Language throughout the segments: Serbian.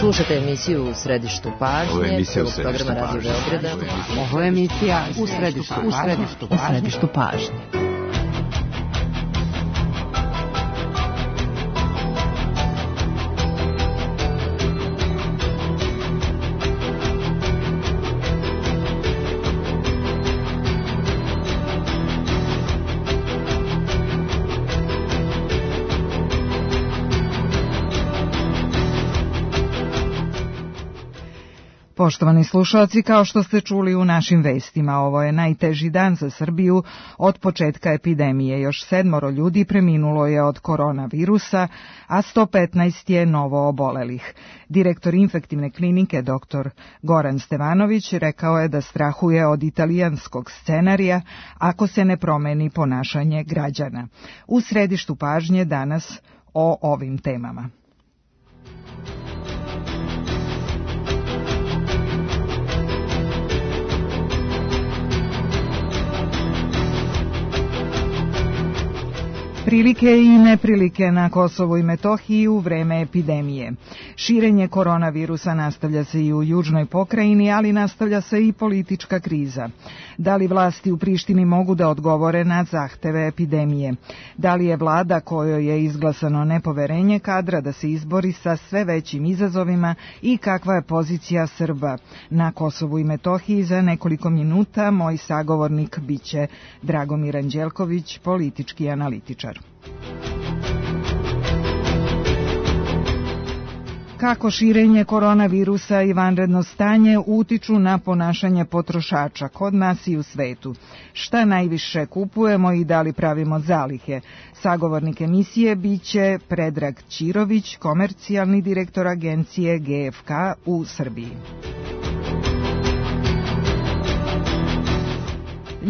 Slušajte emisiju U središtu pažnje. Ovo je emisija U središtu programa Radio Beograda. Ovo je emisija U središtu pažnje. Poštovani slušalci, kao što ste čuli u našim vestima, ovo je najteži dan za Srbiju od početka epidemije. Još 7 ljudi preminulo je od koronavirusa, a 115 je novo obolelih. Direktor infektivne klinike dr. Goran Stevanović rekao je da strahuje od italijanskog scenarija ako se ne promeni ponašanje građana. U središtu pažnje danas o ovim temama. Prilike i neprilike na Kosovu i Metohiji u vreme epidemije. Širenje koronavirusa nastavlja se i u južnoj pokrajini, ali nastavlja se i politička kriza. Da li vlasti u Prištini mogu da odgovore na zahteve epidemije? Da li je vlada kojoj je izglasano nepoverenje kadra da se izbori sa sve većim izazovima i kakva je pozicija Srba na Kosovu i Metohiji? Za nekoliko minuta moj sagovornik biće Dragomir Anđelković, politički analitičar. Kako širenje koronavirusa i vanredno stanje utiču na ponašanje potrošača kod nas i u svetu? Šta najviše kupujemo i da li pravimo zalihe? Sagovornik emisije biće Predrag Ćirović, komercijalni direktor agencije GFK u Srbiji.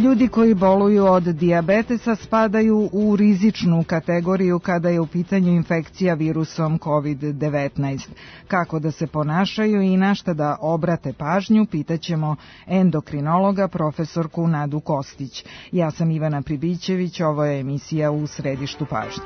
Ljudi koji boluju od dijabetesa spadaju u rizičnu kategoriju kada je u pitanju infekcija virusom COVID-19. Kako da se ponašaju i na šta da obrate pažnju, pitaćemo endokrinologa profesorku Nadu Kostić. Ja sam Ivana Pribićević, ovo je emisija U središtu pažnje.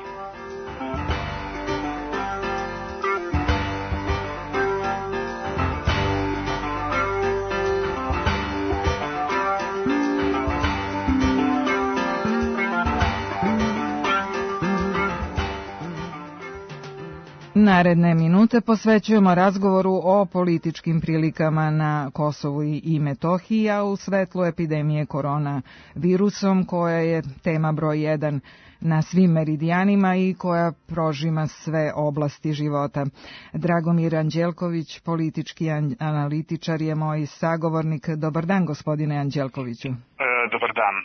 Naredne minute posvećujemo razgovoru o političkim prilikama na Kosovu i Metohiji, a u svetlu epidemije koronavirusom, koja je tema broj 1 na svim meridijanima i koja prožima sve oblasti života. Dragomir Anđelković, politički analitičar, je moj sagovornik. Dobar dan, gospodine Anđelkoviću. Dobar dan.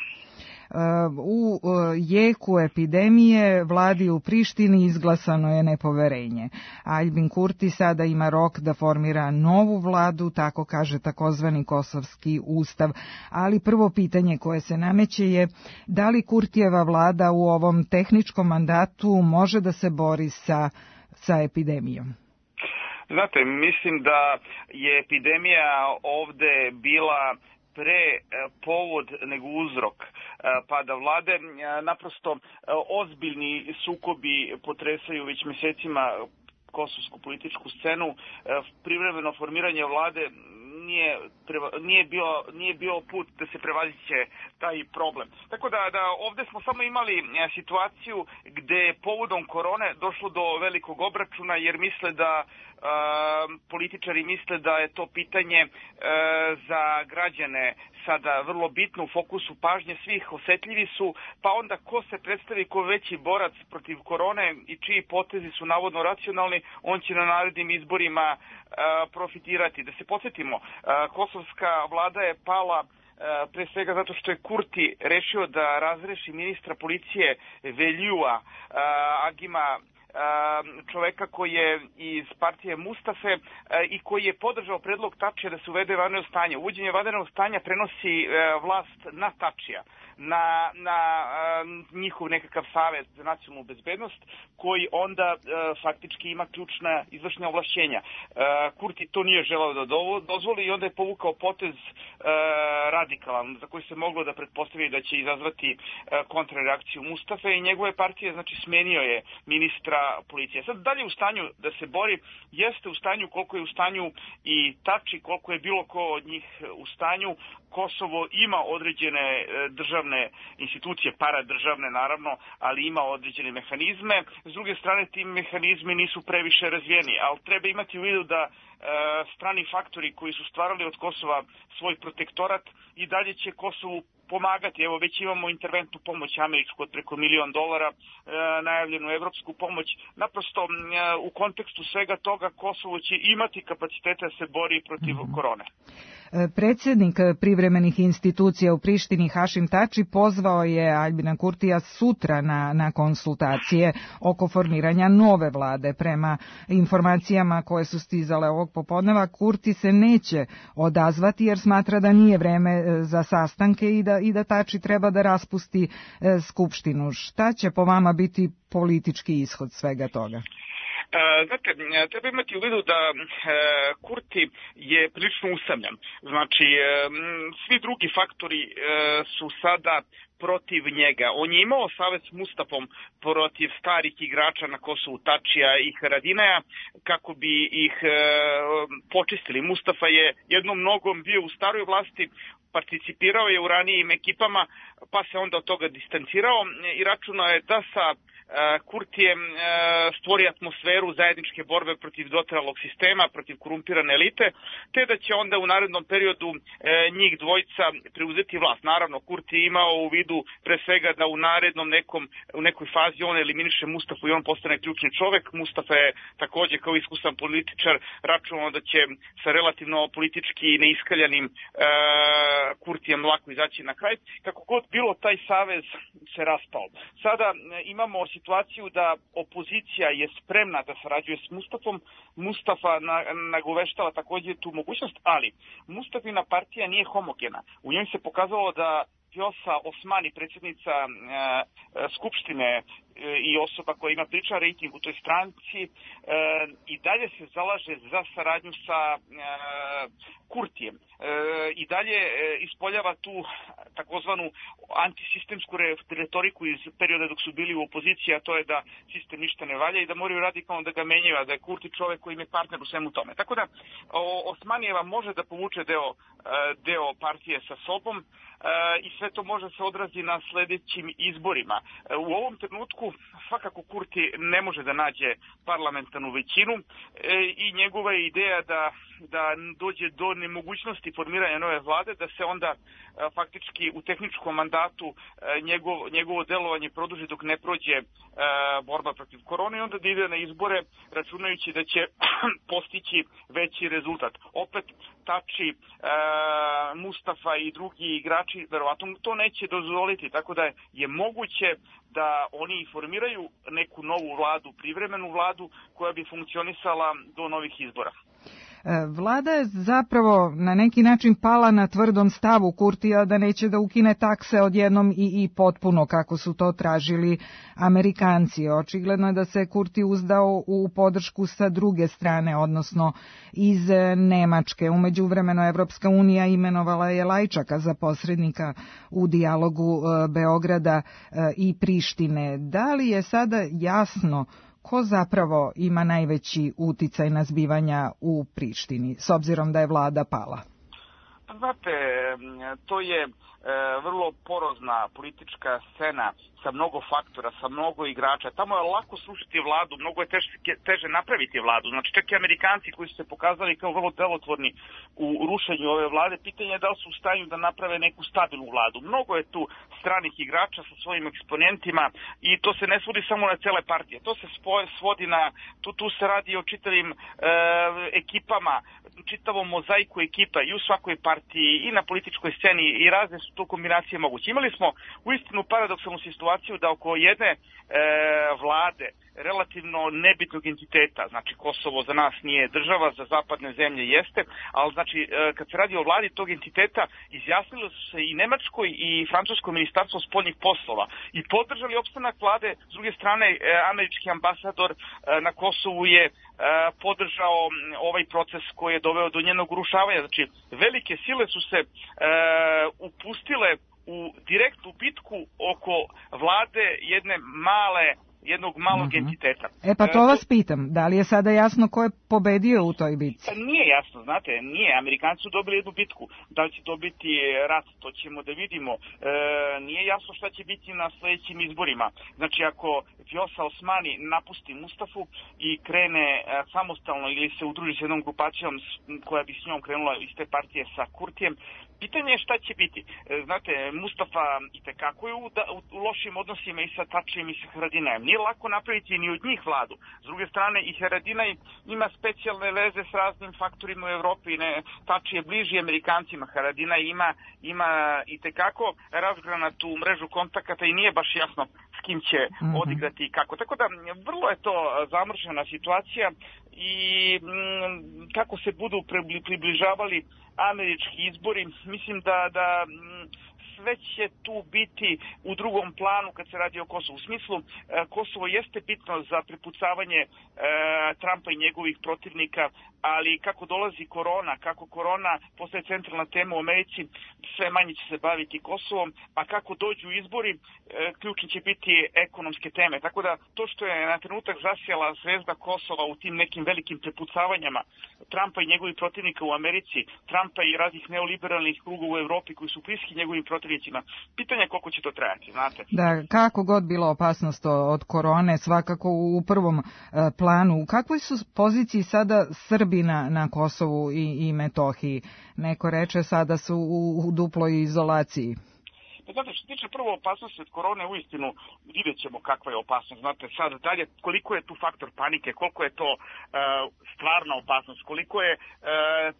U jeku epidemije vladi u Prištini izglasano je nepoverenje. Aljbin Kurti sada ima rok da formira novu vladu, tako kaže takozvani kosovski ustav. Ali prvo pitanje koje se nameće je da li Kurtijeva vlada u ovom tehničkom mandatu može da se bori sa epidemijom? Znate, mislim da je epidemija ovde bila pre povod nego uzrok pada vlade. Naprosto ozbiljni sukobi potresaju već mesecima kosovsku političku scenu. Privremeno formiranje vlade nije bio put da se prevaziće taj problem. Tako da ovde smo samo imali situaciju gde povodom korone došlo do velikog obračuna, jer misle da političari misle da je to pitanje za građane sada vrlo bitno, u fokusu pažnje svih, osetljivi su, pa onda ko se predstavi kao veći borac protiv korone i čiji potezi su navodno racionalni, on će na narednim izborima profitirati. Da se podsjetimo, kosovska vlada je pala pre svega zato što je Kurti rešio da razreši ministra policije Veljua Agima, čoveka koji je iz partije Mustafe i koji je podržao predlog Tačija da se uvede vanredno stanje. Uvođenje vanrednog stanja prenosi vlast na Tačija. na njihov nekakav savez za nacionalnu bezbednost, koji onda faktički ima ključna izvršna ovlašćenja. Kurti to nije želeo da dozvoli i onda je povukao potez radikalan, za koji se moglo da pretpostavi da će izazvati kontrareakciju Mustafe i njegove partije, znači smenio je ministra policije. Sad dalje u stanju da se bori, jeste u stanju koliko je u stanju i Tači, koliko je bilo ko od njih u stanju. Kosovo ima određene državne institucije, paradržavne naravno, ali ima određene mehanizme. S druge strane, ti mehanizmi nisu previše razvijeni, ali treba imati u vidu da strani faktori koji su stvarali od Kosova svoj protektorat i dalje će Kosovu pomagati. Evo, već imamo interventnu pomoć američku od preko $1 milion, najavljenu evropsku pomoć. Naprosto, u kontekstu svega toga, Kosovo će imati kapacitete da se bori protiv korone. Predsjednik privremenih institucija u Prištini Hašim Tači pozvao je Aljbina Kurtija sutra na konsultacije oko formiranja nove vlade. Prema informacijama koje su stizale ovog popodneva, Kurti se neće odazvati jer smatra da nije vreme za sastanke i da Tači treba da raspusti skupštinu. Šta će po vama biti politički ishod svega toga? Znate, treba imati u vidu da Kurti je prilično usamljen. Znači, svi drugi faktori su sada protiv njega. On je imao savez s Mustafom protiv starih igrača na Kosovu, Tačija i Haradinaja, kako bi ih počistili. Mustafa je jednom nogom bio u staroj vlasti, participirao je u ranijim ekipama, pa se onda od toga distancirao i računao je da sa Kurtijem stvori atmosferu zajedničke borbe protiv dotralog sistema, protiv korumpirane elite, te da će onda u narednom periodu njih dvojica preuzeti vlast. Naravno, Kurti je imao u vidu pre svega da u nekoj fazi on eliminiše Mustafu i on postane ključni čovek. Mustafa je takođe kao iskusan političar računao da će sa relativno politički neiskaljanim Kurtijem lako izaći na kraj. Kako god bilo, taj savez se raspao. Sada imamo situaciju da opozicija je spremna da sarađuje s Mustafom. Mustafa nagoveštava takođe tu mogućnost, ali Mustafina partija nije homogena. U njoj se pokazalo da Vjosa Osmani, predsjednica Skupštine i osoba koja ima priličan rejting u toj stranci, i dalje se zalaže za saradnju sa Kurtijem. I dalje ispoljava tu takozvanu antisistemsku retoriku iz perioda dok su bili u opoziciji, a to je da sistem ništa ne valja i da moraju radikalno da ga menjaju, a da je Kurti čovek koji im je partner u svemu tome. Tako da Osmanijeva može da povuče deo partije sa sobom i sve to može se odrazi na sledećim izborima. U ovom trenutku svakako Kurti ne može da nađe parlamentarnu većinu i njegova je ideja da dođe do nemogućnosti formiranja nove vlade, da se onda faktički u tehničkom mandatu njegovo delovanje produži dok ne prođe borba protiv korone i onda da ide na izbore računajući da će postići veći rezultat. Opet Tači, Mustafa i drugi igrači verovatno to neće dozvoliti, tako da je moguće da oni formiraju neku novu vladu, privremenu vladu koja bi funkcionisala do novih izbora. Vlada je zapravo na neki način pala na tvrdom stavu Kurtija da neće da ukine takse odjednom i potpuno kako su to tražili Amerikanci. Očigledno je da se Kurti uzdao u podršku sa druge strane, odnosno iz Nemačke. U međuvremenu Evropska unija imenovala je Lajčaka za posrednika u dijalogu Beograda i Prištine. Da li je sada jasno ko zapravo ima najveći uticaj na zbivanja u Prištini, s obzirom da je vlada pala? Znate, to je vrlo porozna politička scena sa mnogo faktora, sa mnogo igrača. Tamo je lako srušiti vladu, mnogo je teže napraviti vladu. Znači, čak i Amerikanci koji su se pokazali kao vrlo delotvorni u rušenju ove vlade, pitanje je da li su u stanju da naprave neku stabilnu vladu. Mnogo je tu stranih igrača sa svojim eksponentima i to se ne svodi samo na cele partije. To se svodi na, tu se radi o čitavim ekipama, čitavom mozaiku ekipa i u svakoj partiji i na političkoj sceni i razne su to kombinacije moguće. Imali smo uistinu paradoksalnu situaciju da oko jedne vlade relativno nebitnog entiteta. Znači, Kosovo za nas nije država, za zapadne zemlje jeste, ali znači, kad se radi o vladi tog entiteta, izjasnilo su se i Nemačko i Francusko ministarstvo spoljnih poslova i podržali opstanak vlade. S druge strane, američki ambasador na Kosovu je podržao ovaj proces koji je doveo do njenog urušavanja. Znači, velike sile su se upustile u direktnu bitku oko vlade jednog malog entiteta. Pa to vas pitam, da li je sada jasno ko je pobedio u toj bitci? Nije jasno, znate, nije. Amerikanci su dobili jednu bitku. Da li će to biti rat, to ćemo da vidimo. Nije jasno šta će biti na sledećim izborima. Znači, ako Vjosa Osmani napusti Mustafu i krene samostalno ili se udruži s jednom grupacijom koja bi s njom krenula iz te partije sa Kurtijem, pitanje je šta će biti. Znate, Mustafa itekako je u lošim odnosima i sa Tačijem i sa Haradinajem. Nije lako napraviti ni od njih vladu. S druge strane, i Haradinaj ima specijalne veze s raznim faktorima u Evropi. Tači je bliži Amerikancima. Haradinaj ima itekako razgranatu mrežu kontakata i nije baš jasno s kim će odigrati i kako. Tako da, vrlo je to zamršena situacija i kako se budu približavali američki izbori, mislim da sve će tu biti u drugom planu kad se radi o Kosovu. U smislu, Kosovo jeste bitno za prepucavanje Trumpa i njegovih protivnika, ali kako dolazi korona, kako korona postaje centralna tema u Americi, sve manje će se baviti Kosovom, a kako dođu izbori, ključni će biti ekonomske teme. Tako da to što je na trenutak zasjala zvezda Kosova u tim nekim velikim prepucavanjama Trumpa i njegovih protivnika u Americi, Trumpa i raznih neoliberalnih krugova u Evropi koji su bliski njegovim protivnicima, pitanje je koliko će to trajati, znate. Da, kako god bila opasnost od korone, svakako u prvom planu. U kakvoj su poziciji sada Srbi na Kosovu i Metohiji? Neko reče sada su u duploj izolaciji. Znate, što se tiče prvo opasnosti od korone, uistinu vidjet ćemo kakva je opasnost. Znate, sad dalje, koliko je tu faktor panike, koliko je to stvarna opasnost, koliko je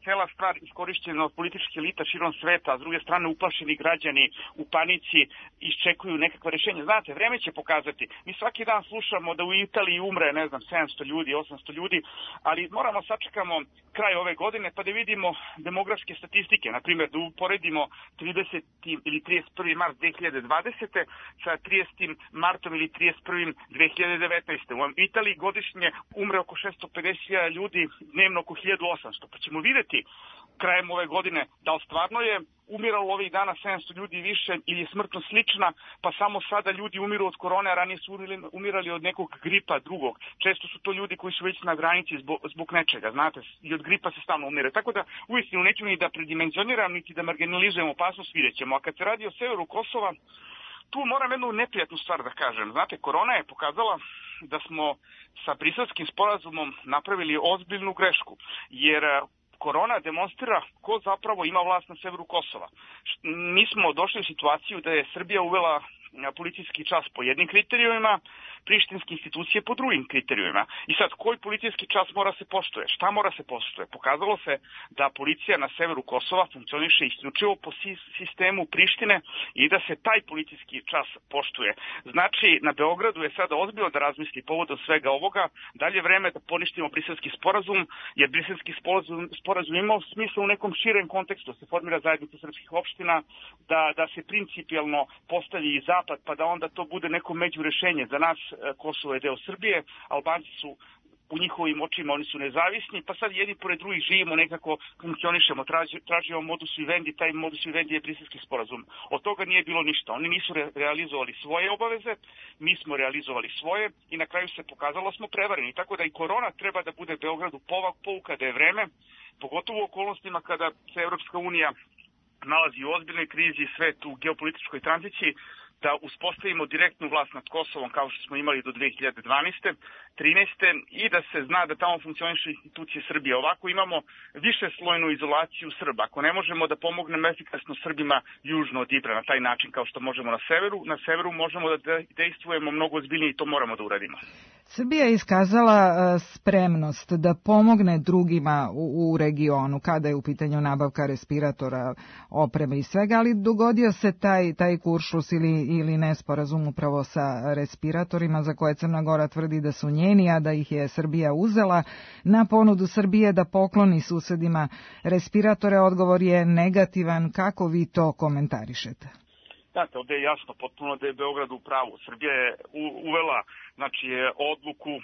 cela stvar iskorišćena od političke elita širom sveta, a s druge strane uplašeni građani u panici iščekuju nekakva rješenja. Znate, vreme će pokazati. Mi svaki dan slušamo da u Italiji umre, 700 ljudi, 800 ljudi, ali moramo sačekamo kraj ove godine pa da vidimo demografske statistike. Naprimjer, da uporedimo 30. ili 31. mart 2020. sa 30. martom ili 31. 2019. U Italiji godišnje umre oko 650.000 ljudi, dnevno oko 1800. Pa ćemo vidjeti krajem ove godine da li stvarno je umiralo ovih dana 700 ljudi više ili je smrtnost slična, pa samo sada ljudi umiru od korone, a ranije su umirali od nekog gripa drugog. Često su to ljudi koji su već na granici zbog nečega, znate, i od gripa se stalno umire. Tako da, uistinu, neću ni da predimenzioniram, niti da marginalizujem opasnost, vidjet ćemo. A kad se radi o severu Kosova, tu moram jednu neprijatnu stvar da kažem. Znate, korona je pokazala da smo sa Briselskim sporazumom napravili ozbiljnu grešku, jer korona demonstrira ko zapravo ima vlast na severu Kosova. Mi smo došli u situaciju da je Srbija uvela policijski čas po jednim kriterijumima, prištinske institucije po drugim kriterijumima. I sad, koji policijski čas mora se poštuje? Šta mora se poštuje? Pokazalo se da policija na severu Kosova funkcioniše isključivo po sistemu Prištine i da se taj policijski čas poštuje. Znači, na Beogradu je sada ozbiljno da razmisli povodom svega ovoga, dalje vreme da poništimo Briselski sporazum, jer Briselski sporazum ima smisla u nekom širem kontekstu, da se formira zajednica srpskih opština, da se principijalno postavi i zapad, pa da onda to bude neko međurešenje. Za nas Kosovo je deo Srbije, Albanci su u njihovim očima, oni su nezavisni, pa sad jedni pored drugih živimo, nekako funkcionišemo, tražimo modus vivendi, taj modus vivendi je Briselski sporazum. Od toga nije bilo ništa. Oni nisu realizovali svoje obaveze, mi smo realizovali svoje i na kraju se pokazalo smo prevareni. Tako da i korona treba da bude Beogradu pouka da je vreme, pogotovo u okolnostima kada se Evropska unija nalazi u ozbiljnoj krizi, svet u geopolitičkoj tranziciji, da uspostavimo direktnu vlast nad Kosovom kao što smo imali do 2012. 13. i da se zna da tamo funkcionišu institucije Srbije. Ovako imamo više slojnu izolaciju Srba. Ako ne možemo da pomognemo efikasno Srbima južno od Ibra na taj način kao što možemo na severu možemo da dejstvujemo mnogo ozbiljnije i to moramo da uradimo. Srbija je iskazala spremnost da pomogne drugima u regionu kada je u pitanju nabavka respiratora, opreme i svega, ali dogodio se taj kuršlus ili ili nesporazum upravo sa respiratorima za koje Crna Gora tvrdi da su njeni, a da ih je Srbija uzela. Na ponudu Srbije da pokloni susedima respiratore, odgovor je negativan. Kako vi to komentarišete? Znate, ovdje je jasno potpuno da je Beograd u pravu. Srbija je uvela odluku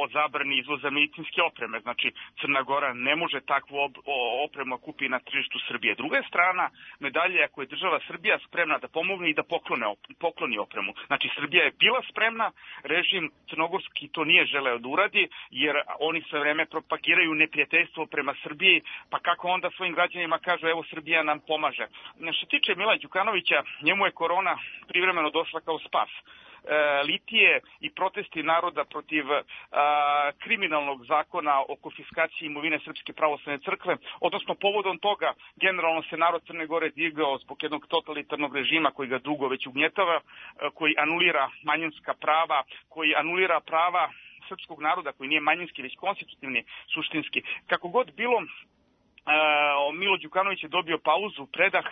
o zabrani izvoza medicinske opreme. Znači, Crna Gora ne može takvu opremu kupi na tržištu Srbije. Druga strana medalje, ako je država Srbija spremna da pomogne i da pokloni opremu. Znači, Srbija je bila spremna, režim crnogorski to nije želeo da uradi, jer oni sve vreme propagiraju neprijateljstvo prema Srbiji, pa kako onda svojim građanima kažu, evo Srbija nam pomaže. Što tiče Mila Đukanovića, njemu je korona privremeno došla kao spas. Litije i protesti naroda protiv kriminalnog zakona o konfiskaciji imovine Srpske pravoslavne crkve, odnosno povodom toga generalno se narod Crne Gore digao zbog jednog totalitarnog režima koji ga dugo već ugnjetava, koji anulira manjinska prava, koji anulira prava srpskog naroda koji nije manjinski već konstitutivni, suštinski. Kako god bilo, Milo Đukanović je dobio pauzu, predah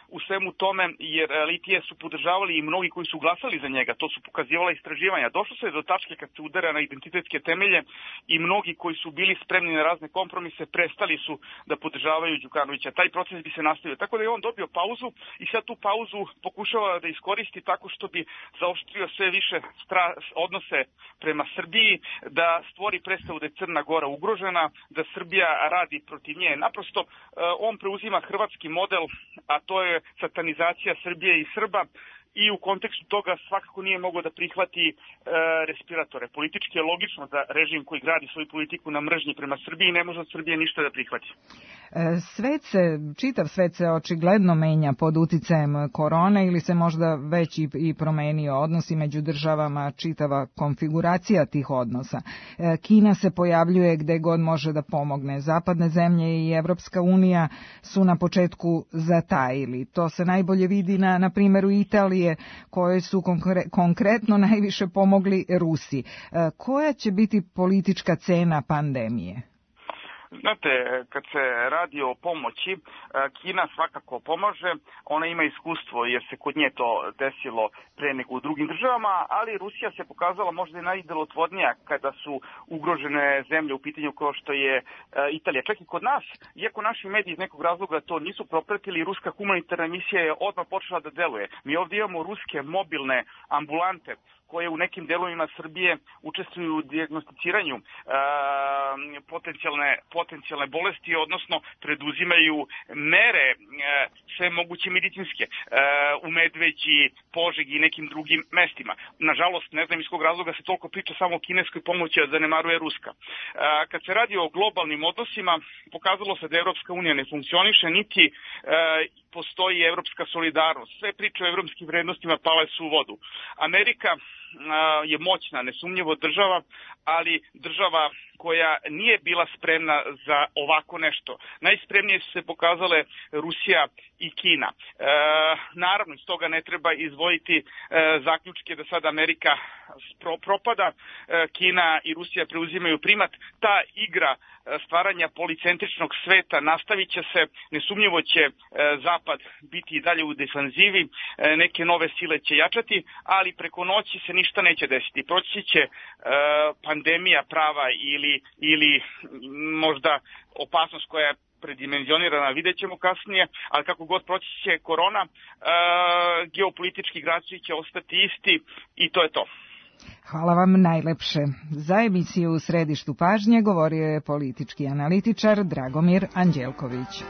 u svemu tome, jer Litije su podržavali i mnogi koji su glasali za njega, to su pokazivala istraživanja. Došlo se do tačke kad se udara na identitetske temelje i mnogi koji su bili spremni na razne kompromise prestali su da podržavaju Đukanovića. Taj proces bi se nastavio. Tako da je on dobio pauzu i sad tu pauzu pokušava da iskoristi tako što bi zaoštrio sve više odnose prema Srbiji, da stvori predstavu da je Crna Gora ugrožena, da Srbija radi protiv nje. Naprosto on preuzima hrvatski model, a to je satanizacija Srbije i Srba, i u kontekstu toga svakako nije mogao da prihvati respiratore. Politički je logično da režim koji gradi svoju politiku na mržnji prema Srbiji ne može od Srbije ništa da prihvati. Čitav svet se očigledno menja pod uticajem korone ili se možda već i promenio odnosi među državama, čitava konfiguracija tih odnosa. Kina se pojavljuje gde god može da pomogne. Zapadne zemlje i Evropska unija su na početku zatajili. To se najbolje vidi na primjeru Italije, koje su konkretno najviše pomogli Rusi. Koja će biti politička cena pandemije? Znate, kad se radi o pomoći, Kina svakako pomaže, ona ima iskustvo jer se kod nje to desilo pre nego u drugim državama, ali Rusija se pokazala možda i najdelotvornija kada su ugrožene zemlje u pitanju kao što je Italija. Čak i kod nas, iako naši mediji iz nekog razloga to nisu propratili, ruska humanitarna misija je odmah počela da deluje. Mi ovdje imamo ruske mobilne ambulante koje u nekim delovima Srbije učestvuju u dijagnosticiranju potencijalne bolesti, odnosno preduzimaju mere sve moguće medicinske u Medveđi, Požegi i nekim drugim mestima. Nažalost, ne znam iz kog razloga se toliko priča samo o kineskoj pomoći, a zanemaruje ruska. Kad se radi o globalnim odnosima, pokazalo se da Evropska unija ne funkcioniše, niti postoji evropska solidarnost. Sve priče o evropskim vrednostima pale su u vodu. Amerika je moćna, nesumnjivo država, ali država koja nije bila spremna za ovako nešto. Najspremnije su se pokazale Rusija i Kina. Naravno, iz toga ne treba izdvojiti zaključke da sad Amerika propada, Kina i Rusija preuzimaju primat. Ta igra stvaranja policentričnog sveta nastavit će se, nesumnjivo će Zapad biti i dalje u defanzivi, neke nove sile će jačati, ali preko noći se ništa neće desiti. Proći će pandemija prava ili možda opasnost koja je predimenzionirana, vidjet ćemo kasnije, ali kako god proći će korona, geopolitički igrači će ostati isti i to je to. Hvala vam najlepše. Za emisiju U središtu pažnje govorio je politički analitičar Dragomir Anđelković.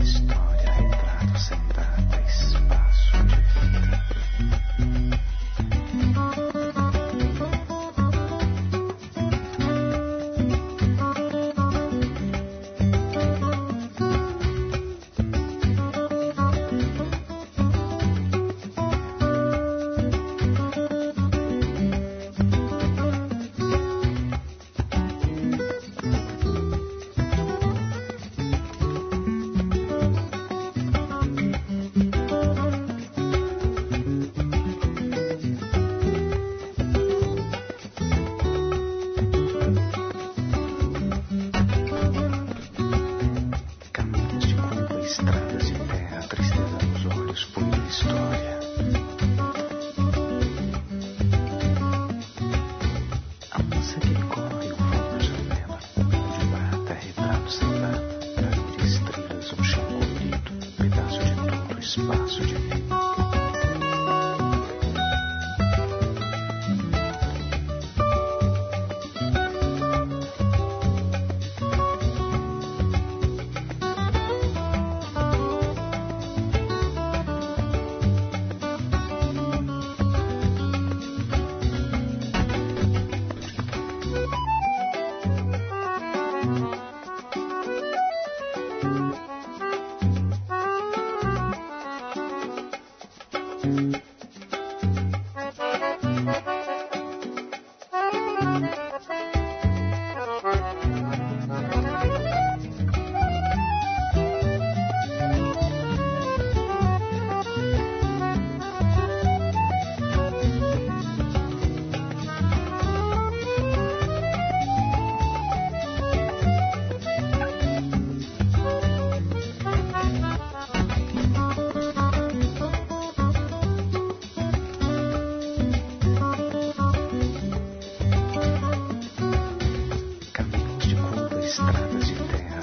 Storia entrato sembrata e spasso pravosuđe.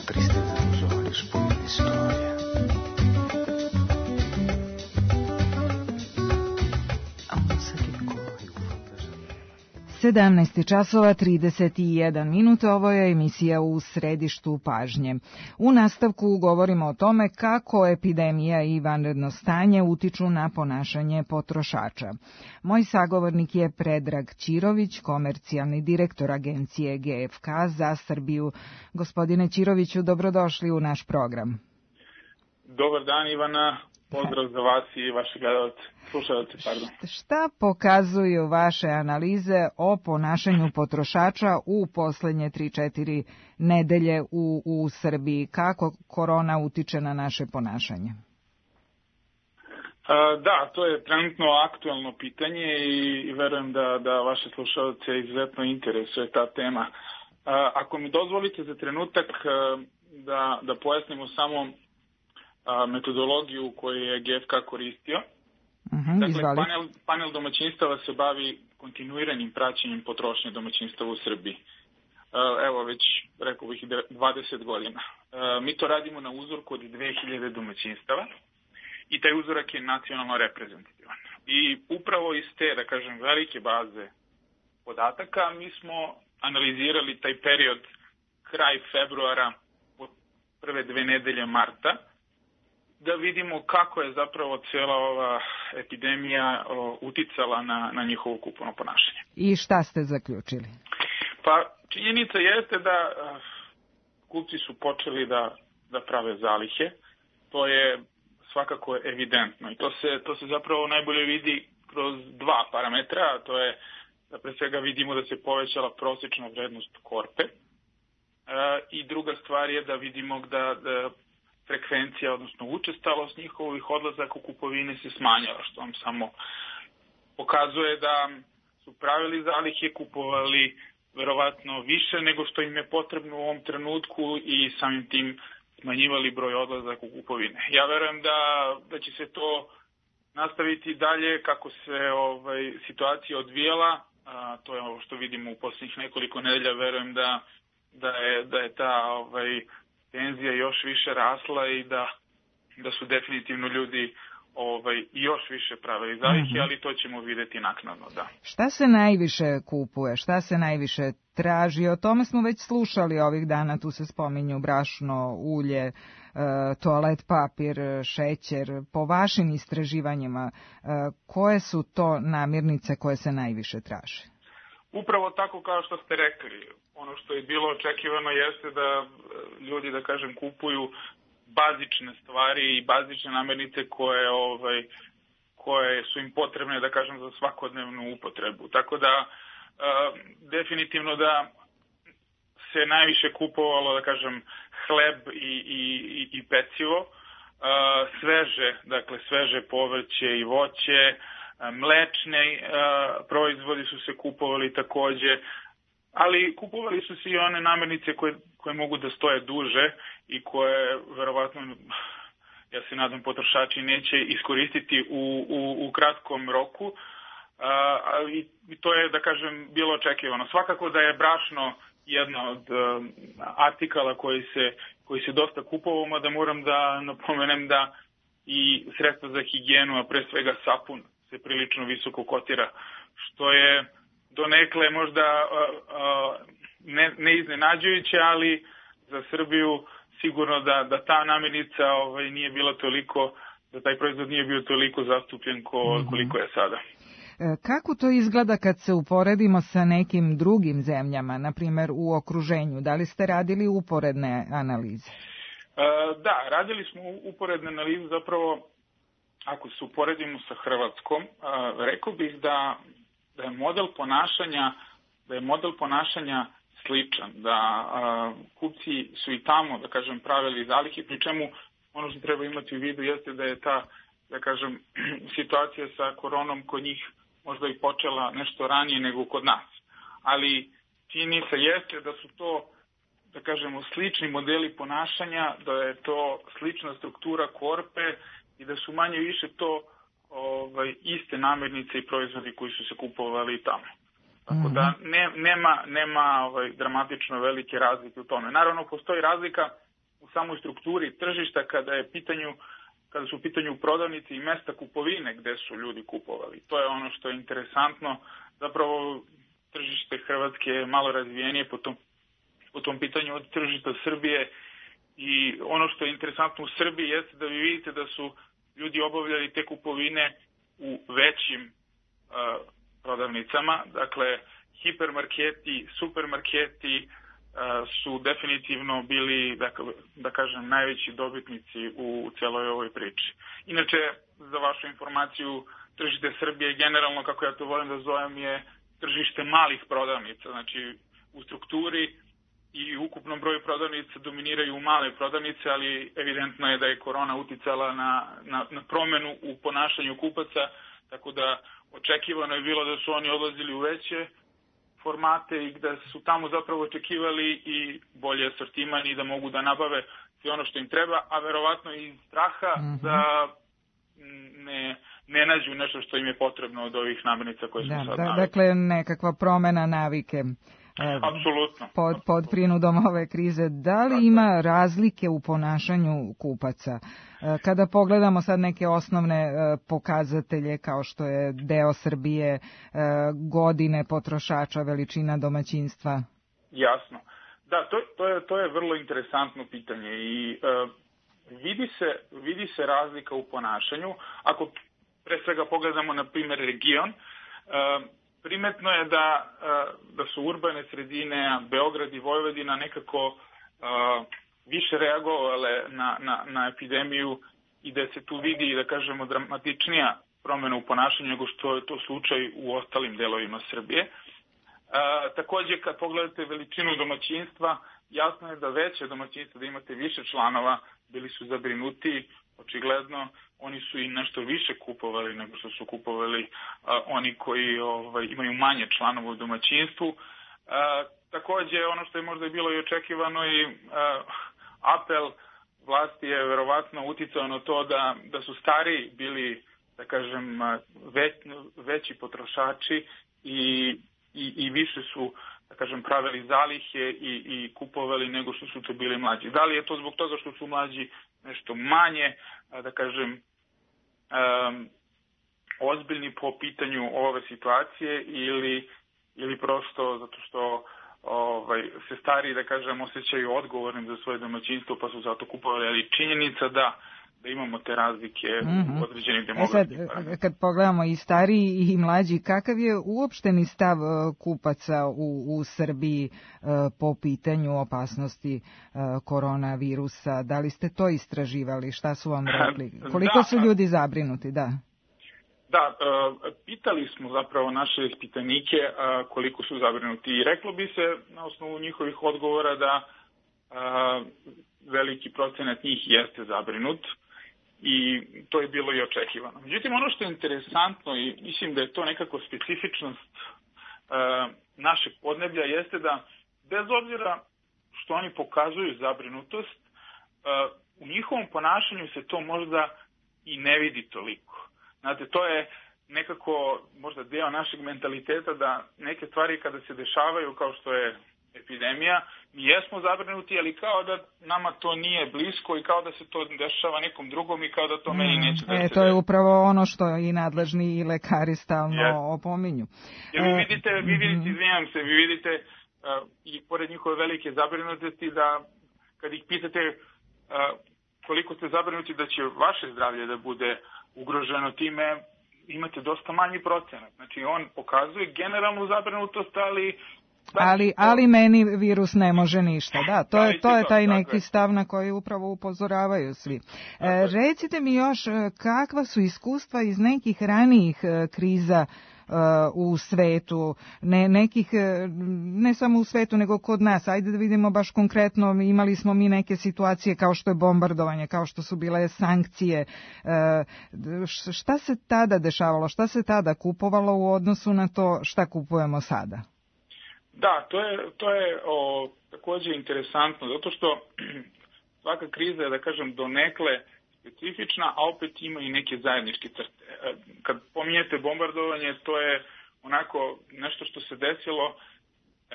Tristeza nos olhos, poema de história. 17 časova 31 minuta, ovo je emisija U središtu pažnje. U nastavku govorimo o tome kako epidemija i vanredno stanje utiču na ponašanje potrošača. Moj sagovornik je Predrag Ćirović, komercijalni direktor agencije GFK za Srbiju. Gospodine Ćiroviću, dobrodošli u naš program. Dobar dan, Ivana. Pozdrav za vas i vaše gledalce, slušalce, pardon. Šta pokazuju vaše analize o ponašanju potrošača u poslednje 3-4 nedelje u Srbiji? Kako korona utiče na naše ponašanje? Da, to je trenutno aktuelno pitanje i verujem da vaše slušalce izuzetno interesuje ta tema. Ako mi dozvolite za trenutak da pojasnimo samo metodologiju koju je GFK koristio. Dakle, panel domaćinstava se bavi kontinuiranim praćenjem potrošnje domaćinstava u Srbiji. Evo već, rekao bih, 20 godina. Mi to radimo na uzorku od 2000 domaćinstava i taj uzorak je nacionalno reprezentativan. I upravo iz te, da kažem, velike baze podataka mi smo analizirali taj period kraj februara od prve 2 nedelje marta, da vidimo kako je zapravo cijela ova epidemija uticala na njihovo kupovno ponašanje. I šta ste zaključili? Pa činjenica jeste da kupci su počeli da prave zalihe. To je svakako evidentno i to se zapravo najbolje vidi kroz 2 parametra, a to je da pre svega vidimo da se povećala prosječna vrednost korpe i druga stvar je da vidimo da frekvencija, odnosno učestalost njihovih odlazaka u kupovine se smanjala, što vam samo pokazuje da su pravili zalihe, kupovali verovatno više nego što im je potrebno u ovom trenutku i samim tim smanjivali broj odlazaka u kupovine. Ja verujem da će se to nastaviti dalje kako se situacija odvijela, to je ovo što vidimo u posljednjih nekoliko nedelja, verujem da je ta tenzija još više rasla i da su definitivno ljudi još više pravili zalihe, ali to ćemo vidjeti naknadno, da. Šta se najviše kupuje, šta se najviše traži? O tome smo već slušali ovih dana, tu se spominju brašno, ulje, toalet papir, šećer. Po vašim istraživanjima, koje su to namirnice koje se najviše traže? Upravo tako kao što ste rekli. Ono što je bilo očekivano jeste da ljudi, da kažem, kupuju bazične stvari i bazične namirnice koje su im potrebne, da kažem, za svakodnevnu upotrebu. Tako da definitivno da se najviše kupovalo, da kažem, hleb i pecivo, sveže povrće i voće, mlečni proizvodi su se kupovali takođe, ali kupovali su se i one namirnice koje mogu da stoje duže i koje verovatno, ja se nadam, potrošači neće iskoristiti u kratkom roku, i to je, da kažem, bilo očekivano. Svakako da je brašno jedna od artikala koji se dosta kupovao, mada moram da napomenem da i sredstva za higijenu, a pre svega sapun se prilično visoko kotira, što je donekle možda ne iznenađujuće, ali za Srbiju sigurno da ta namirnica nije bila toliko, da taj proizvod nije bio toliko zastupljen koliko je sada. Kako to izgleda kad se uporedimo sa nekim drugim zemljama, na primjer u okruženju? Da li ste radili uporedne analize? Da, radili smo uporedne analize, zapravo ako se uporedimo sa Hrvatskom, rekao bih da je model ponašanja sličan, da kupci su i tamo, da kažem, pravili zalihe, pri čemu ono što treba imati u vidu jeste da je ta, da kažem, situacija sa koronom kod njih možda i počela nešto ranije nego kod nas. Ali činjenica jeste da su to, da kažemo, slični modeli ponašanja, da je to slična struktura korpe i da su manje više to iste namirnice i proizvodi koji su se kupovali tamo. Tako da nema dramatično velike razlike u tome. Naravno, postoji razlika u samoj strukturi tržišta kada su u pitanju prodavnice i mesta kupovine gde su ljudi kupovali. To je ono što je interesantno. Zapravo, tržište Hrvatske je malo razvijenije po tom pitanju od tržišta Srbije i ono što je interesantno u Srbiji jeste da vi vidite da su ljudi obavljali te kupovine u većim prodavnicama. Dakle, hipermarketi, supermarketi su definitivno bili, da kažem, najveći dobitnici u celoj ovoj priči. Inače, za vašu informaciju, tržište Srbije generalno, kako ja to volim da zovem, je tržište malih prodavnica. Znači, u strukturi i ukupnom broju prodavnica dominiraju male prodavnice, ali evidentno je da je korona uticala na promenu u ponašanju kupaca, tako da očekivano je bilo da su oni odlazili u veće formate i da su tamo zapravo očekivali i bolje asortiman i da mogu da nabave sve ono što im treba, a verovatno i straha da ne nađu nešto što im je potrebno od ovih namirnica koje smo sad naveli. Dakle, nekakva promena navike. Apsolutno. Pod prinudom ove krize. Da li ima razlike u ponašanju kupaca? Kada pogledamo sad neke osnovne pokazatelje kao što je deo Srbije, godine potrošača, veličina domaćinstva? Jasno. Da, to je vrlo interesantno pitanje i vidi se razlika u ponašanju. Ako pre svega pogledamo, na primjer, region, primetno je da su urbane sredine, Beograd i Vojvodina, nekako više reagovale na epidemiju i da se tu vidi, da kažemo, dramatičnija promjena u ponašanju nego što je to slučaj u ostalim delovima Srbije. Takođe, kad pogledate veličinu domaćinstva, jasno je da veće domaćinstva, da imate više članova, bili su zabrinuti, očigledno. Oni su i nešto više kupovali nego što su kupovali oni koji imaju manje članova u domaćinstvu. Takođe, ono što je možda bilo i očekivano i apel vlasti je verovatno uticao na to da su stariji bili, da kažem, veći potrošači i više su, da kažem, pravili zalihe i kupovali nego što su to bili mlađi. Da li je to zbog toga što su mlađi nešto manje, da kažem, ozbiljni po pitanju ove situacije ili prosto zato što se stariji, da kažem, osjećaju odgovornim za svoje domaćinstvo pa su zato kupovali, ali činjenica da imamo te razlike u određenim demografskih parametrima. Kad pogledamo i stariji i mlađi, kakav je uopšteni stav kupaca u Srbiji po pitanju opasnosti koronavirusa? Da li ste to istraživali? Šta su vam rekli? Koliko su ljudi zabrinuti? Da, pitali smo zapravo naše ispitanike koliko su zabrinuti i reklo bi se na osnovu njihovih odgovora da veliki procenat njih jeste zabrinut. I to je bilo i očekivano. Međutim, ono što je interesantno i mislim da je to nekako specifičnost našeg podneblja jeste da bez obzira što oni pokazuju zabrinutost, u njihovom ponašanju se to možda i ne vidi toliko. Znate, to je nekako možda deo našeg mentaliteta da neke stvari kada se dešavaju kao što je epidemija, mi jesmo zabrinuti, ali kao da nama to nije blisko i kao da se to dešava nekom drugom i kao da to meni neće da se to je upravo ono što i nadležni i lekari stalno opominju. Jer vi vidite, izvinjam se, vi vidite i pored njihove velike zabrinutosti da kad ih pitate koliko ste zabrinuti da će vaše zdravlje da bude ugroženo time, imate dosta manji procenat. Znači on pokazuje generalnu zabrinutost, ali meni virus ne može ništa. Da, to je taj neki stav na koji upravo upozoravaju svi. Recite mi još kakva su iskustva iz nekih ranijih kriza u svetu, ne samo u svetu nego kod nas. Ajde da vidimo baš konkretno, imali smo mi neke situacije kao što je bombardovanje, kao što su bile sankcije. Šta se tada dešavalo, šta se tada kupovalo u odnosu na to šta kupujemo sada? Da, to je također interesantno, zato što svaka kriza je, da kažem, donekle specifična, a opet ima i neke zajedničke crte. Kad pominjete bombardovanje, to je onako nešto što se desilo,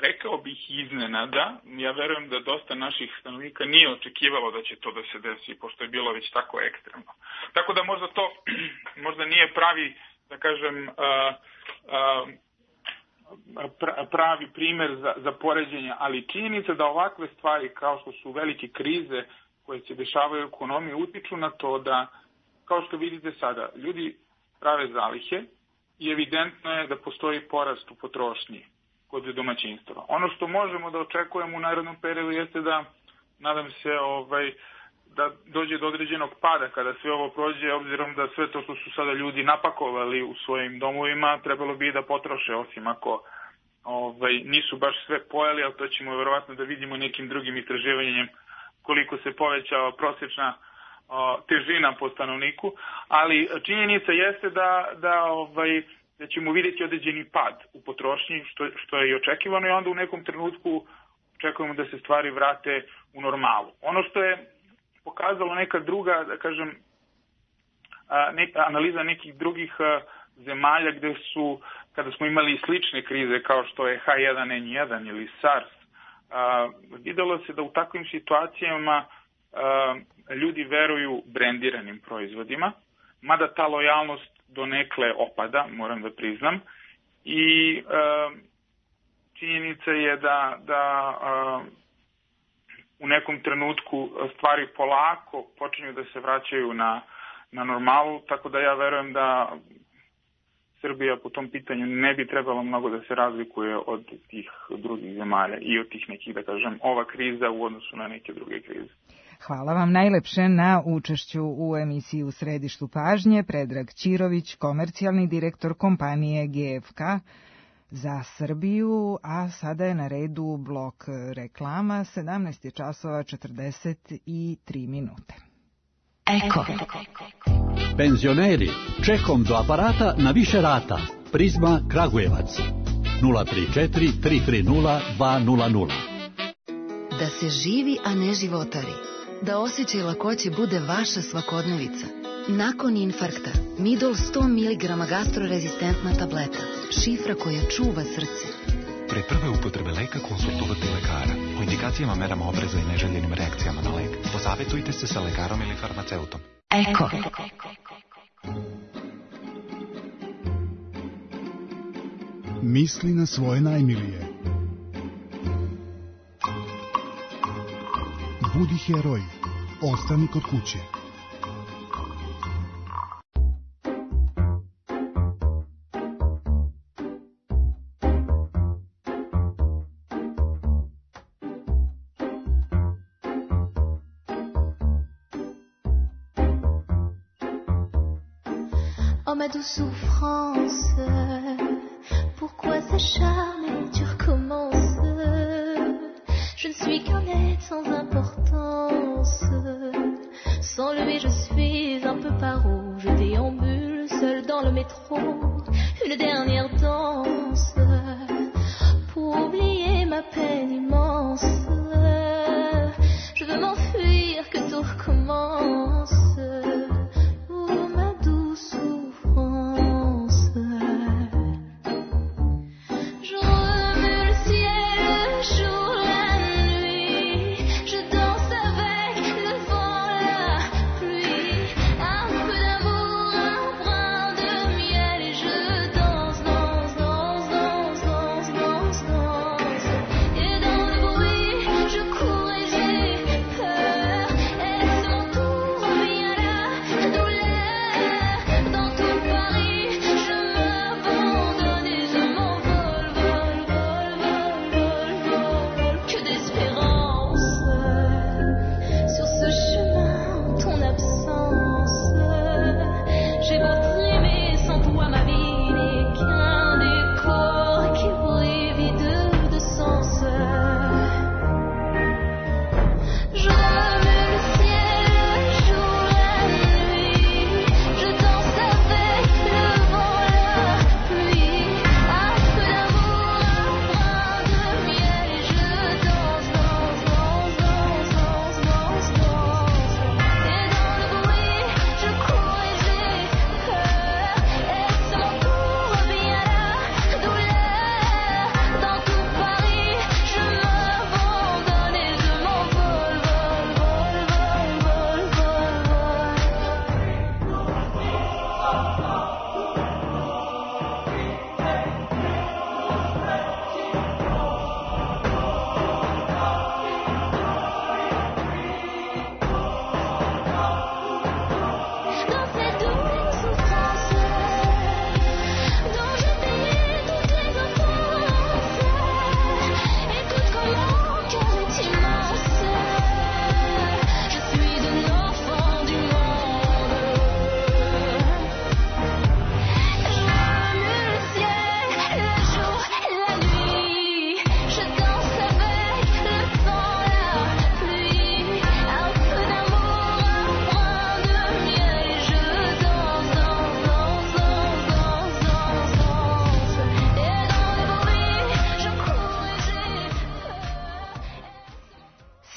rekao bih iznenada. Ja verujem da dosta naših stanovnika nije očekivalo da će to da se desi, pošto je bilo već tako ekstremno. Tako da možda to možda nije pravi, da kažem, pravi primjer za poređenje, ali činjenica da ovakve stvari kao što su velike krize koje se dešavaju u ekonomiji utiču na to da, kao što vidite sada, ljudi prave zalihe i evidentno je da postoji porast u potrošnji kod domaćinstva. Ono što možemo da očekujemo u narednom periodu jeste da, nadam se, da dođe do određenog pada kada sve ovo prođe, obzirom da sve to što su sada ljudi napakovali u svojim domovima, trebalo bi da potroše, osim ako nisu baš sve pojeli, ali to ćemo verovatno da vidimo nekim drugim istraživanjem koliko se povećava prosječna težina po stanovniku, ali činjenica jeste da ćemo vidjeti određeni pad u potrošnji, što je i očekivano, i onda u nekom trenutku očekujemo da se stvari vrate u normalu. Ono što je pokazalo neka druga, da kažem, analiza nekih drugih zemalja gdje su, kada smo imali slične krize kao što je H1N1 ili SARS, vidjelo se da u takvim situacijama ljudi veruju brendiranim proizvodima, mada ta lojalnost donekle opada, moram da priznam, i činjenica je da u nekom trenutku stvari polako počinju da se vraćaju na normalu, tako da ja verujem da Srbija po tom pitanju ne bi trebalo mnogo da se razlikuje od tih drugih zemalja i od tih nekih, da kažem, ova kriza u odnosu na neke druge krize. Hvala vam najlepše na učešću u emisiji U središtu pažnje. Predrag Ćirović, komercijalni direktor kompanije GFK za Srbiju, a sada je na redu blok reklama, 17:43. Eko. Penzioneri, čekom do aparata na više rata. Prizma Kragujevac 034 330 200. Da se živi, a ne životari. Da osjećaj lakoće bude vaša svakodnevica. Nakon infarkta, Midol 100 mg gastrorezistentna tableta. Šifra koja čuva srce. Pre prve upotrebe leka konsultovati lekara. O indikacijama, merama opreza i neželjenim reakcijama na lek posavjetujte se sa lekarom ili farmaceutom. Eko. Misli na svoje najmilije. Budi heroj. Ostani kod kuće. Oh ma douce souffrance, pourquoi s'acharner, tu recommences. Je ne suis qu'un être sans importance. Sans lui je suis un peu paro. Je déambule seul dans le métro. Une dernière danse pour oublier ma peine immense. Je veux m'enfuir, que tout recommence. Je remue le ciel, le jour, la nuit.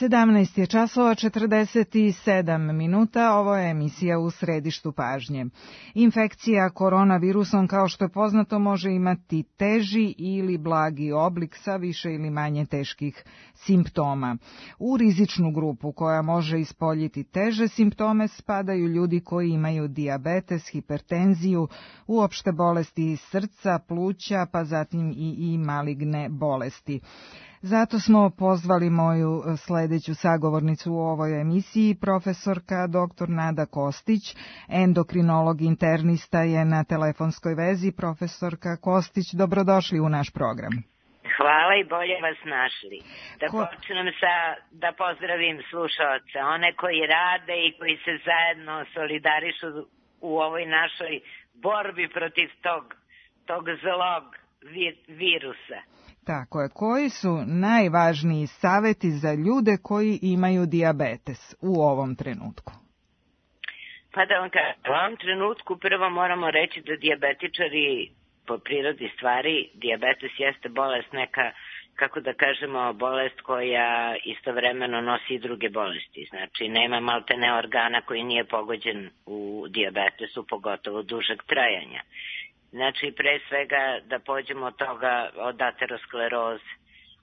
17 je časova 47 minuta, ovo je emisija U središtu pažnje. Infekcija koronavirusom, kao što je poznato, može imati teži ili blagi oblik sa više ili manje teških simptoma. U rizičnu grupu koja može ispoljiti teže simptome spadaju ljudi koji imaju dijabetes, hipertenziju, uopšte bolesti srca, pluća, pa zatim i maligne bolesti. Zato smo pozvali moju sledeću sagovornicu u ovoj emisiji, profesorka dr. Nada Kostić, endokrinolog internista je na telefonskoj vezi. Profesorka Kostić, dobrodošli u naš program. Hvala i bolje vas našli. Počnem da pozdravim slušaoce, one koji rade i koji se zajedno solidarišu u ovoj našoj borbi protiv tog zlog virusa. Tako je. Koji su najvažniji saveti za ljude koji imaju dijabetes u ovom trenutku? Pa da vam kažem, u ovom trenutku prvo moramo reći da dijabetičari po prirodi stvari, dijabetes jeste bolest neka, kako da kažemo, bolest koja istovremeno nosi i druge bolesti. Znači, nema maltene organa koji nije pogođen u dijabetesu, pogotovo dužeg trajanja. Znači, pre svega da pođemo od toga, od ateroskleroze.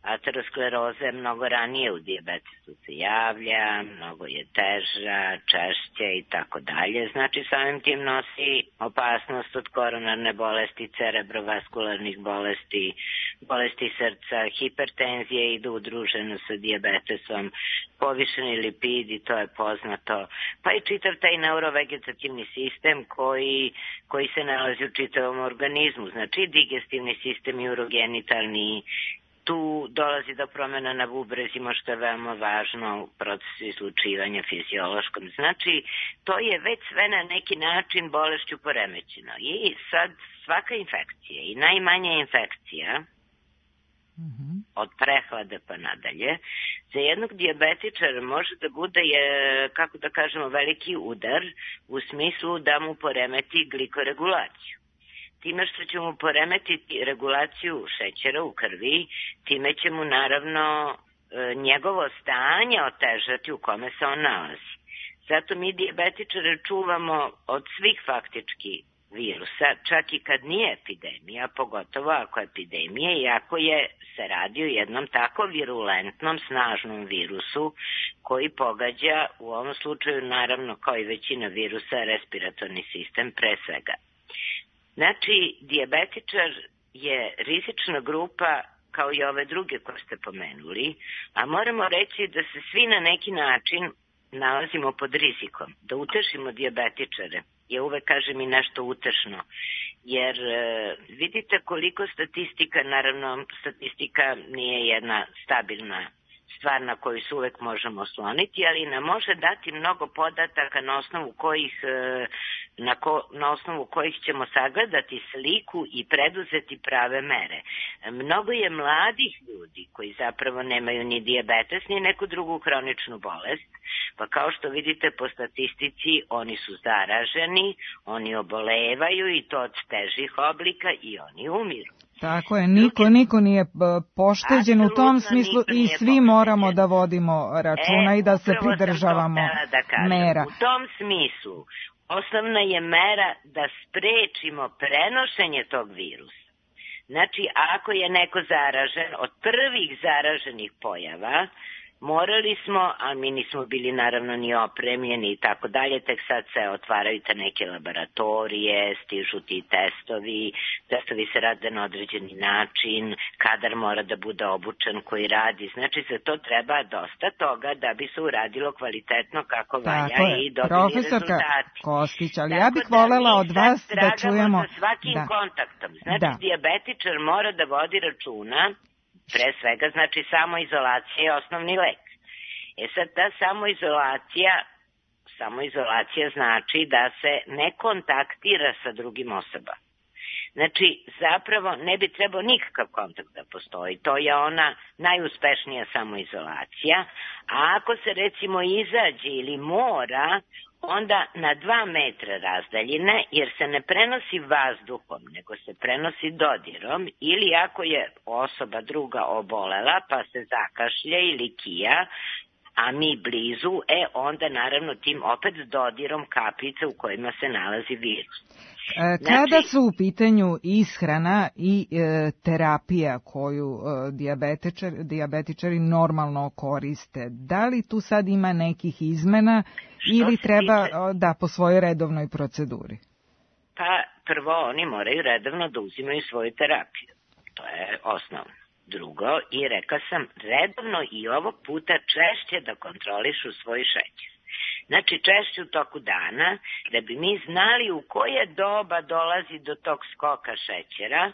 Ateroskleroza je mnogo ranije u dijabetesu se javlja, mnogo je teža, češće i tako dalje. Znači, samim tim nosi opasnost od koronarne bolesti, cerebrovaskularnih bolesti, bolesti srca, hipertenzije idu udruženo sa dijabetesom, povišeni lipidi, to je poznato, pa i čitav taj neurovegetativni sistem koji se nalazi u čitavom organizmu, znači digestivni sistem i urogenitalni. Tu dolazi do promjena na bubrezima, što je veoma važno u procesu izlučivanja fiziološkom. Znači, to je već sve na neki način bolešću poremećeno. I sad svaka infekcija i najmanja infekcija, od prehlade pa nadalje, za jednog dijabetičara može da bude, kako da kažemo, veliki udar u smislu da mu poremeti glikoregulaciju. Time što će mu poremetiti regulaciju šećera u krvi, time će mu naravno njegovo stanje otežati u kome se on nalazi. Zato mi dijabetičare čuvamo od svih faktički virusa, čak i kad nije epidemija, pogotovo ako je epidemija, iako se radi o jednom tako virulentnom, snažnom virusu koji pogađa, u ovom slučaju naravno kao i većina virusa, respiratorni sistem pre svega. Znači, dijabetičar je rizična grupa kao i ove druge koje ste pomenuli, a moramo reći da se svi na neki način nalazimo pod rizikom. Da utešimo dijabetičare, ja uvek kažem i nešto utešno, jer vidite koliko statistika, naravno statistika nije jedna stabilna stvar na koju se uvek možemo osloniti, ali nam može dati mnogo podataka na osnovu kojih ćemo sagledati sliku i preduzeti prave mere. Mnogo je mladih ljudi koji zapravo nemaju ni dijabetes ni neku drugu hroničnu bolest, pa kao što vidite po statistici oni su zaraženi, oni obolevaju i to od težih oblika i oni umiru. Tako je, niko nije pošteđen u tom smislu i svi moramo da vodimo računa i da se pridržavamo mera. U tom smislu osnovna je mera da sprečimo prenošenje tog virusa. Znači, ako je neko zaražen, od prvih zaraženih pojava, morali smo, a mi nismo bili naravno ni opremljeni i tako dalje, tek sad se otvaraju te neke laboratorije, stižu ti testovi se rade na određeni način, kadar mora da bude obučen koji radi, znači za to treba dosta toga da bi se uradilo kvalitetno kako valja i dobili rezultati. Kostić, ali ja bih volela od vas da čujemo sa svakim kontaktom, znači dijabetičar mora da vodi računa. Pre svega, znači, samoizolacija je osnovni lek. Sad, ta samoizolacija znači da se ne kontaktira sa drugim osobama. Znači, zapravo ne bi trebao nikakav kontakt da postoji. To je ona najuspešnija samoizolacija. A ako se recimo izađe ili mora, onda na 2 metra razdaljine, jer se ne prenosi vazduhom, nego se prenosi dodirom, ili ako je osoba druga obolela, pa se zakašlje ili kija, a mi blizu, onda naravno tim opet dodirom kapljica u kojima se nalazi virus. Kada su u pitanju ishrana i terapija koju dijabetičari normalno koriste, da li tu sad ima nekih izmena ili treba po svojoj redovnoj proceduri? Pa prvo oni moraju redovno da uzimaju svoju terapiju. To je osnovno. Drugo, i rekla sam, redovno i ovog puta češće da kontrolišu svoj šećer. Znači češće u toku dana, da bi mi znali u koje doba dolazi do tog skoka šećera,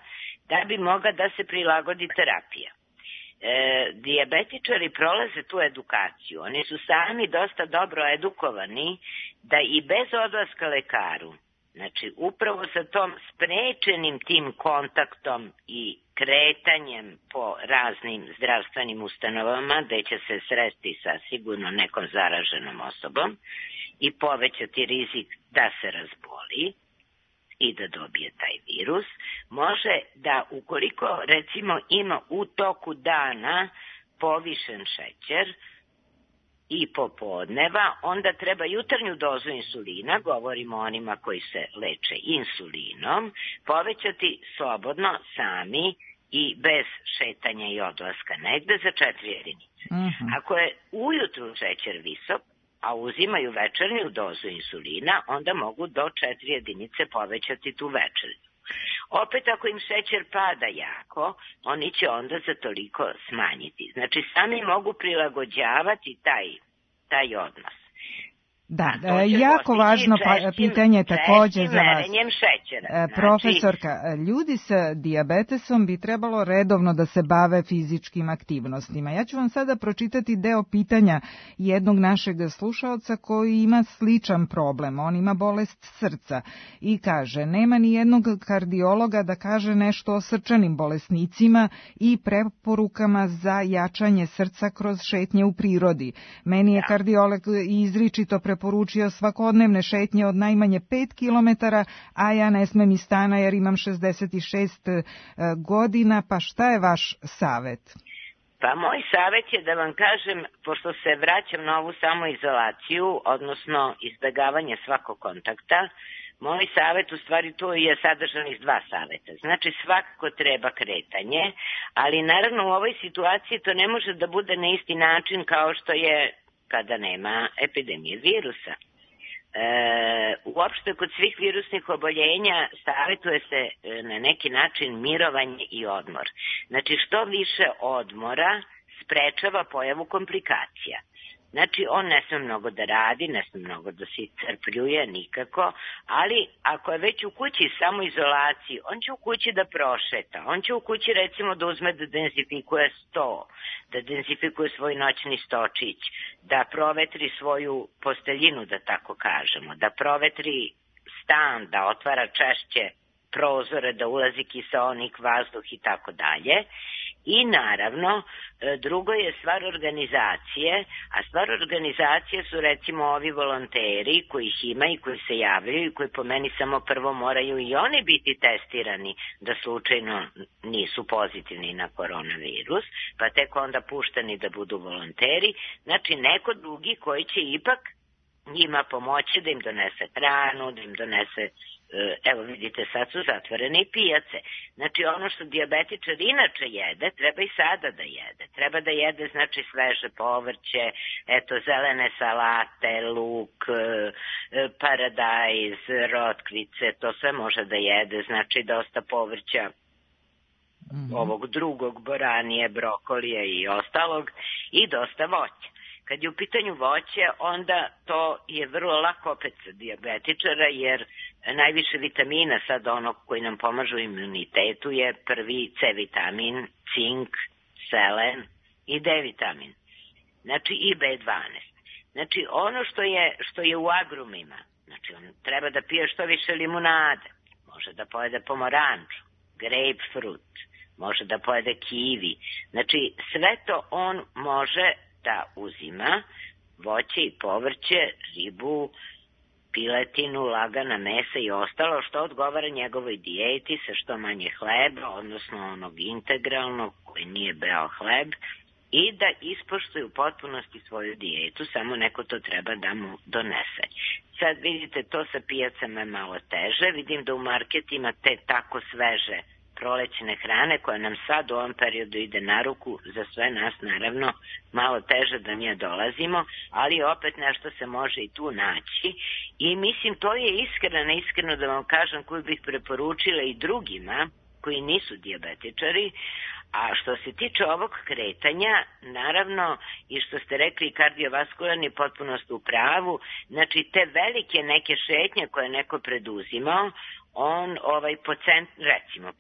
da bi mogla da se prilagodi terapija. Dijabetičari prolaze tu edukaciju. Oni su sami dosta dobro edukovani da i bez odlaska lekaru, znači upravo sa tom sprečenim tim kontaktom i kretanjem po raznim zdravstvenim ustanovama gde će se sresti sa sigurno nekom zaraženom osobom i povećati rizik da se razboli i da dobije taj virus, može da ukoliko recimo ima u toku dana povišen šećer i popodneva, onda treba jutarnju dozu insulina, govorimo o onima koji se leče insulinom, povećati slobodno sami i bez šetanja i odlaska negde za 4 jedinice. Ako je ujutru šećer visok, a uzimaju večernju dozu insulina, onda mogu do 4 jedinice povećati tu večernju. Opet ako im šećer pada jako, oni će onda za toliko smanjiti. Znači sami mogu prilagođavati taj odnos. Da, jako važno pitanje takođe za vas. Šećera. Profesorka, ljudi sa dijabetesom bi trebalo redovno da se bave fizičkim aktivnostima. Ja ću vam sada pročitati deo pitanja jednog našeg slušaoca koji ima sličan problem. On ima bolest srca i kaže, nema ni jednog kardiologa da kaže nešto o srčanim bolesnicima i preporukama za jačanje srca kroz šetnje u prirodi. Meni je kardiolog izričito preporučio svakodnevne šetnje od najmanje 5 kilometara, a ja ne smem iz stana jer imam 66 godina, pa šta je vaš savet? Pa moj savet je da vam kažem, pošto se vraćam na ovu samoizolaciju, odnosno izbegavanje svakog kontakta, moj savet u stvari tu je sadržan iz 2 saveta. Znači svakako treba kretanje, ali naravno u ovoj situaciji to ne može da bude na isti način kao što je kada nema epidemije virusa. Uopšte kod svih virusnih oboljenja savjetuje se na neki način mirovanje i odmor. Znači što više odmora sprečava pojavu komplikacija. Znači on ne sme mnogo da radi, ne sme mnogo da se iscrpljuje nikako, ali ako je već u kući samoizolaciji, on će u kući da prošeta, on će u kući recimo da uzme da dezinfikuje sto, da dezinfikuje svoj noćni stočić, da provetri svoju posteljinu, da tako kažemo, da provetri stan, da otvara češće prozore, da ulazi kiseonik, vazduh i tako dalje. I naravno, drugo je stvar organizacije, a stvar organizacije su recimo ovi volonteri koji ih ima i koji se javljaju i koji po meni samo prvo moraju i oni biti testirani da slučajno nisu pozitivni na koronavirus, pa tek onda pušteni da budu volonteri. Znači neko drugi koji će ipak njima pomoći da im donese hranu, da im donese... Evo vidite, sad su zatvorene i pijace. Znači ono što dijabetičar inače jede, treba i sada da jede. Treba da jede znači sveže povrće, eto zelene salate, luk, paradajz, rotkvice, to sve može da jede. Znači dosta povrća, ovog drugog, boranije, brokolije i ostalog i dosta voća. Kad je u pitanju voće, onda to je vrlo lako opet za dijabetičara, jer najviše vitamina sad onog koji nam pomažu imunitetu je prvi C vitamin, cink, selen i D vitamin. Znači i B12. Znači ono što je u agrumima, znači on treba da pije što više limunade, može da pojede pomoranču, grapefruit, može da pojede kiwi. Znači sve to on može da uzima, voće i povrće, ribu, piletinu, lagana mesa i ostalo što odgovara njegovoj dijeti sa što manje hleba, odnosno onog integralnog koji nije beo hleb i da ispoštuju u potpunosti svoju dijetu, samo neko to treba da mu donese. Sad vidite, to sa pijacama je malo teže, vidim da u marketima te tako sveže prolećne hrane koja nam sad u ovom periodu ide na ruku, za sve nas naravno malo teže da nje dolazimo, ali opet nešto se može i tu naći i mislim to je iskreno da vam kažem koju bih preporučila i drugima koji nisu dijabetičari. A što se tiče ovog kretanja, naravno, i što ste rekli kardiovaskularni, potpuno ste u pravu, znači te velike neke šetnje koje neko preduzimao, on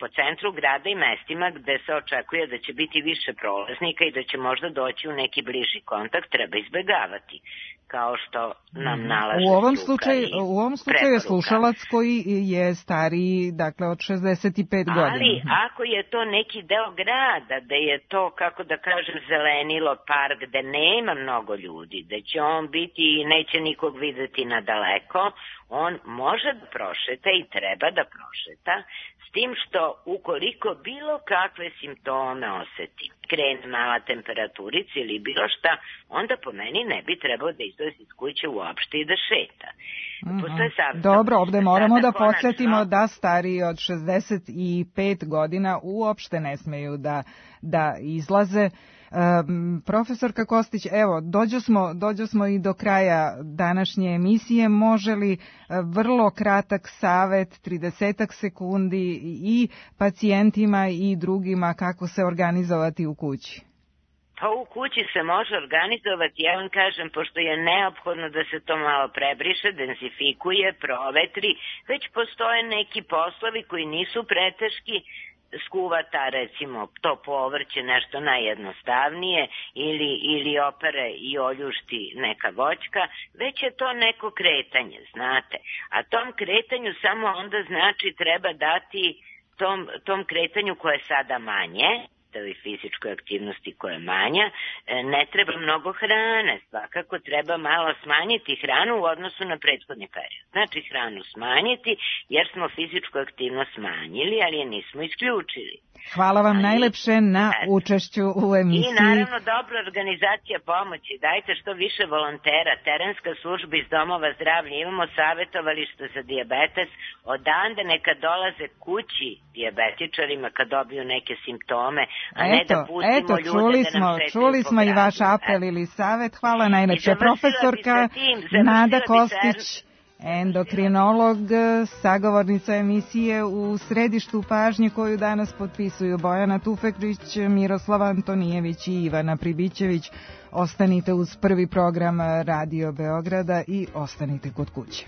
po centru grada i mestima gde se očekuje da će biti više prolaznika i da će možda doći u neki bliži kontakt, treba izbegavati, kao što nam nalaže struka i preporuka. U ovom slučaju je slušalac koji je stariji, dakle od 65 godina. Ali ako je to neki deo grada, da je to, kako da kažem, zelenilo, park, gde nema mnogo ljudi, da će on biti i neće nikog videti nadaleko, on može da prošeta i treba da prošeta, s tim što ukoliko bilo kakve simptome oseti, krene mala temperaturica ili bilo šta, onda po meni ne bi trebao da izlazi iz kuće uopšte i da šeta. Dobro, ovde moramo da podsjetimo da stariji od 65 godina uopšte ne smeju da izlaze. Profesorka Kostić, evo, dođo smo i do kraja današnje emisije. Može li vrlo kratak savet, 30 sekundi i pacijentima i drugima kako se organizovati u kući? Pa u kući se može organizovati, ja vam kažem, pošto je neophodno da se to malo prebriše, densifikuje, provetri, već postoje neki poslovi koji nisu preteški, skuvata recimo to povrće nešto najjednostavnije ili opere i oljušti neka voćka, već je to neko kretanje, znate. A tom kretanju samo onda znači treba dati tom kretanju koje je sada manje, toj fizičkoj aktivnosti koja je manja, ne treba mnogo hrane, svakako treba malo smanjiti hranu u odnosu na prethodni period. Znači hranu smanjiti jer smo fizičku aktivnost smanjili, ali je nismo isključili. Hvala vam najlepše na učešću u emisiji. I naravno dobra organizacija pomoći. Dajte što više volontera, terenska služba iz domova zdravlja. Imamo savjetovalište za dijabetes. Odande neka dolaze kući dijabetičarima kad dobiju neke simptome, a ne da pustimo ljude da nam šetaju čuli smo i vaš apel ili savjet. Hvala najlepše. Profesorka Nada Kostić, endokrinolog, sagovornica emisije u središtu pažnje koju danas potpisuju Bojana Tufeklić, Miroslava Antonijević i Ivana Pribićević. Ostanite uz prvi program Radio Beograda i ostanite kod kuće.